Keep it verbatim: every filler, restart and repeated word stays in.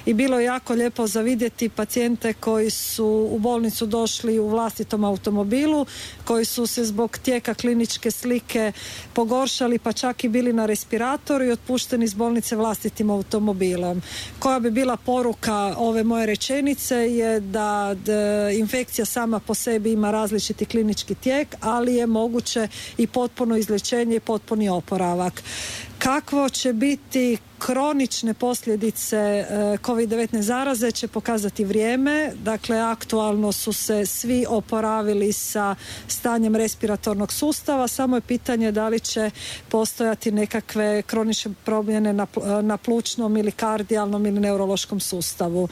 i bilo je jako lijepo za vidjeti pacijente koji su u bolnicu došli u vlastitom automobilu, koji su se zbog tijeka kliničke slike pogoršali pa čak i bili na respiratoru i otpušteni iz bolnice vlastitim automobilom. Koja bi bila poruka ove moje rečenice je da infekcija sama po sebi ima različiti klinički tijek, ali je moguće i potpuno izlječenje i potpuni oporavak. Kakvo će biti kronične posljedice kovid devetnaest zaraze će pokazati vrijeme. Dakle, aktualno su se svi oporavili sa stanjem respiratornog sustava, samo je pitanje da li će postojati nekakve kronične promjene na, na plućnom ili kardijalnom ili neurološkom sustavu.